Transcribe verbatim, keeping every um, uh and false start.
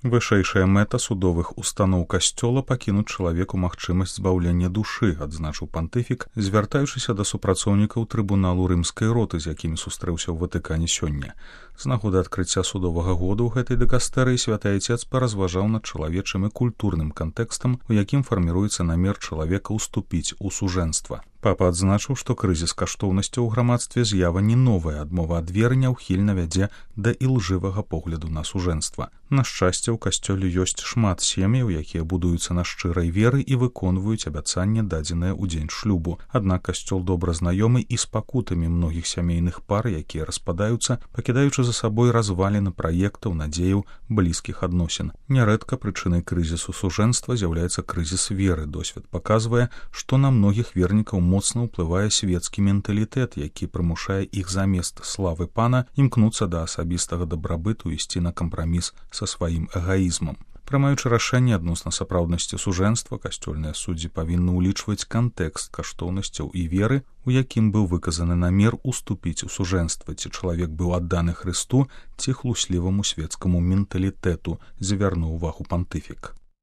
Вышэйшая мэта судовых устаноў касцёла пакінуць чалавеку магчымасць збаўлення душы, адзначыў пантыфік, звяртаючыся да супрацоўнікаў трыбуналу рымскай роты, з якімі сустрэўся ў Ватыкане сёння. З нагоды адкрыцця судовага году ў гэтай дыкастэрыі святы айцец паразважаў над чалавечым і культурным кантэкстам, у якім фарміруецца намер чалавека ўступіць у сужэнства. Папа адзначыў, што крызіс каштоўнасцяў у грамадстве з'ява не новая, адмова ад веры няўхільна вядзе да ілжывага погляду на сужэнства. На шчасце, у касцёле ёсць шмат сем'яў, якія будуюцца на шчырай веры і выконваюць абяцанне, дадзенае ў дзень шлюбу. Аднак касцёл добра знаёмы і з пакутамі многіх сямейных пар, якія распадаюцца, пакідаючы за сабой разваліны праектаў, надзеяў, блізкіх адносін. Нярэдка прычынай крызісу сужэнства з'яўляецца крызіс веры. Досвед паказвае, што на многіх вернікаў моцна ўплывае свецкі менталітэт, які прымушае іх замест славы пана імкнуцца да асабістага дабрабыту і ісці на кампраміс са сваім эгаізмам. Прымаючы рашэнне адносна сапраўднасці сужэнства, касцёльныя суддзі павінны ўлічваць кантэкст каштоўнасцяў і веры, у якім быў выказаны намер уступіць у сужэнства, ці чалавек быў адданы Хрысту, ці хлусліваму свецкаму менталітэту, завярнуў увагу пантыфік.